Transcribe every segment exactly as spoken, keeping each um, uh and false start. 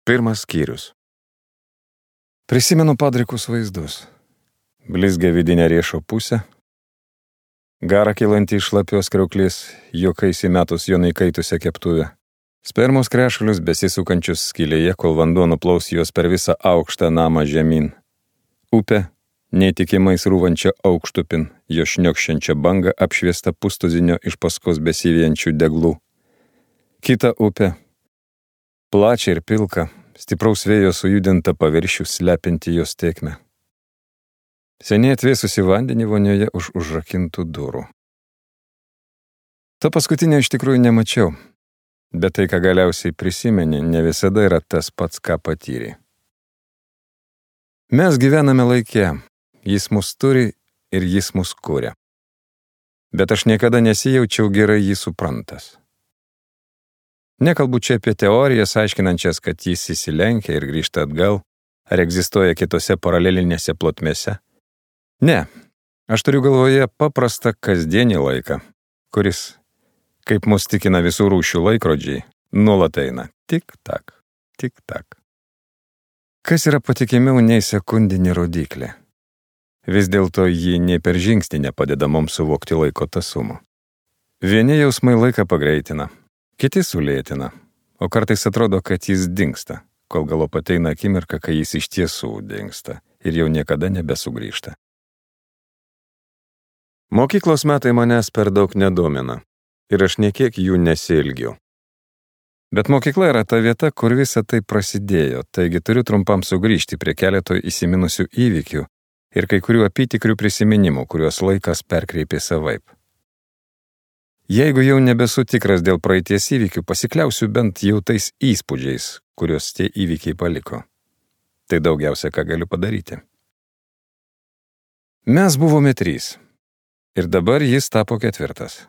Pirmas skyrius. Prisimenu padrikus vaizdus. Blizgia vidinė riešo pusė, garą kylantį iš šlapios kriauklės, juokais įmetus jo įkaitusią keptuvę, spermos krešulius besisukančius skylėje, kol vanduo nuplaus juos per visą aukštą namą žemyn. Upė, neįtikimai srūvančia aukštupin, jo šniokščiančia banga apšviesta pustuzinio iš paskos besivijančių deglų. Kita upė, plačia ir pilka, stipraus vėjo sujudinta paviršių slepinti jos tėkmę. Seniai atvėsusi vandenį vonioje už užrakintų durų. To paskutinio iš tikrųjų nemačiau, bet tai, ką galiausiai prisimeni, ne visada yra tas pats, ką patyrė. Mes gyvename laike, jis mus turi ir jis mus kuria. Bet aš niekada nesijaučiau gerai jį suprantas. Nekalbu čia apie teorijas, aiškinančias, kad jis įsilenkia ir grįžta atgal, ar egzistuoja kitose paralelinėse plotmėse. Ne, aš turiu galvoje paprastą kasdienį laiką, kuris, kaip mus tikina visų rūšių laikrodžiai, nuolat eina tik-tak, tik-tak. Kas yra patikimiau nei sekundinė rodiklė? Vis dėlto ji nei per žingsnį nepadeda mums suvokti laiko tąsumo. Vieni jausmai laiką pagreitina, kiti sulėtina, o kartais atrodo, kad jis dingsta, kol galop ateina akimirka, kai jis iš tiesų dingsta ir jau niekada nebesugrįžta. Mokyklos metai manęs per daug nedomina ir aš niekiek jų nesiilgiu. Bet mokykla yra ta vieta, kur visa tai prasidėjo, taigi turiu trumpam sugrįžti prie keleto įsiminusių įvykių ir kai kurių apytikrių prisiminimų, kuriuos laikas perkreipė savaip. Jeigu jau nebesu tikras dėl praeities įvykių, pasikliausiu bent jau tais įspūdžiais, kuriuos tie įvykiai paliko. Tai daugiausia, ką galiu padaryti. Mes buvome trys. Ir dabar jis tapo ketvirtas.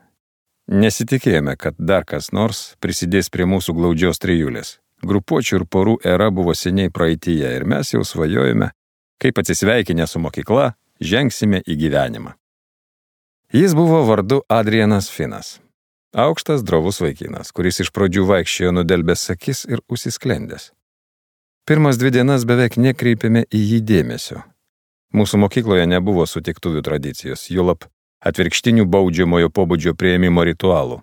Nesitikėjome, kad dar kas nors prisidės prie mūsų glaudžios trijulės. Grupuočių ir porų era buvo seniai praeityje ir mes jau svajojome, kaip atsisveikinę su mokykla, žengsime į gyvenimą. Jis buvo vardu Adrianas Finas. Aukštas, drovus vaikinas, kuris iš pradžių vaikščiojo nudelbęs akis ir užsisklendęs. Pirmas dvi dienas beveik nekreipėme į jį dėmesio. Mūsų mokykloje nebuvo sutiktuvių tradicijos, juolab atvirkštinių baudžiamojo pobūdžio priėmimo ritualų.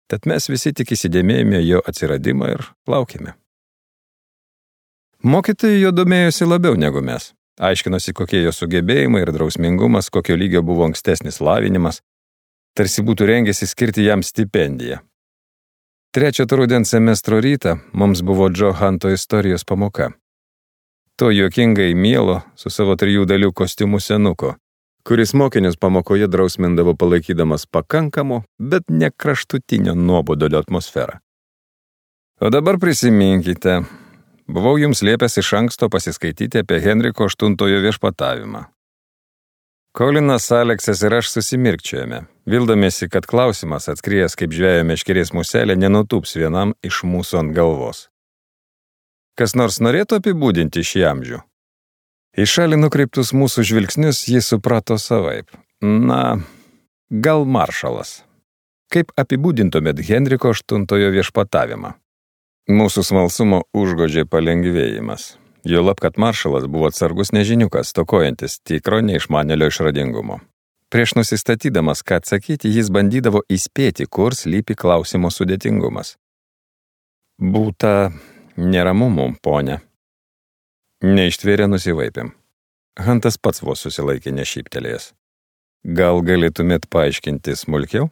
Tad mes visi tik įsidėmėjome jo atsiradimą ir laukėme. Mokytojai jo domėjosi labiau negu mes. Aiškinosi, kokie jo sugebėjimai ir drausmingumas, kokio lygio buvo ankstesnis lavinimas, tarsi būtų rengėsi skirti jam stipendiją. Trečią rudens semestro rytą mums buvo Džo Hanto istorijos pamoka. To juokingai mielo su savo trijų dalių kostiumu senuko, kuris mokinius pamokoje drausmindavo palaikydamas pakankamo, bet ne kraštutinio nuobodulio atmosferą. O dabar prisiminkite, buvau jums liepęs iš anksto pasiskaityti apie Henriko aštuntojo viešpatavimą. Kolinas, Aleksas ir aš susimirkčiojame, vildamiesi, kad klausimas atskrijęs kaip žvejo meškerės muselė nenutūps vienam iš mūsų ant galvos. Kas nors norėtų apibūdinti šį amžių? Į šalį nukreiptus mūsų žvilgsnius jis suprato savaip. Na, gal maršalas. Kaip apibūdintumėt Henriko aštuntojo viešpatavimą? Mūsų smalsumo užgodžia palengvėjimas. Juolab, kad maršalas buvo atsargus nežiniukas, stokojantis tikro neišmanėlio išradingumo. Prieš nusistatydamas, ką atsakyti, jis bandydavo įspėti, kur slypi klausimo sudėtingumas. Būta neramumų, ponia. Neištvėrė nusivaipėm. Hantas pats vos susilaikė nešyptelėjęs. Gal galėtumėt paaiškinti smulkiau?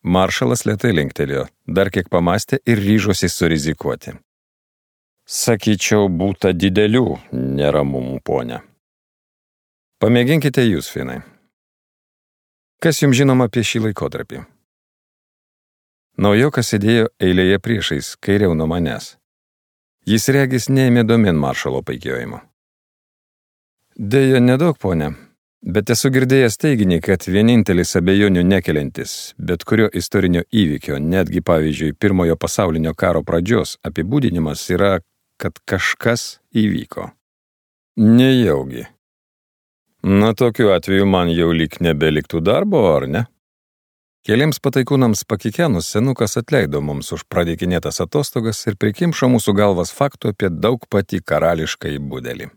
Maršalas lėtai linktelėjo, dar kiek pamastė ir ryžosi surizikuoti. Sakyčiau, būta didelių neramumų, ponia. Pamėginkite jūs, Finai. Kas jums žinoma apie šį laikotarpį? Naujokas sėdėjo eilėje priešais, kairiau nuo manęs. Jis regis neėmė domin maršalo paikiojimo. Deja, nedaug, ponia. Bet esu girdėjęs teiginį, kad vienintelis abejonių nekeliantis, bet kurio istorinio įvykio, netgi pavyzdžiui pirmojo pasaulinio karo pradžios apibūdinimas yra, kad kažkas įvyko. Nejaugi. Na, tokiu atveju man jau lyg nebeliktų darbo, ar ne? Keliems pataikūnams pakikenus senukas atleido mums už pradėkinėtas atostogas ir prikimšo mūsų galvas faktų apie daug patį karališkąjį budelį.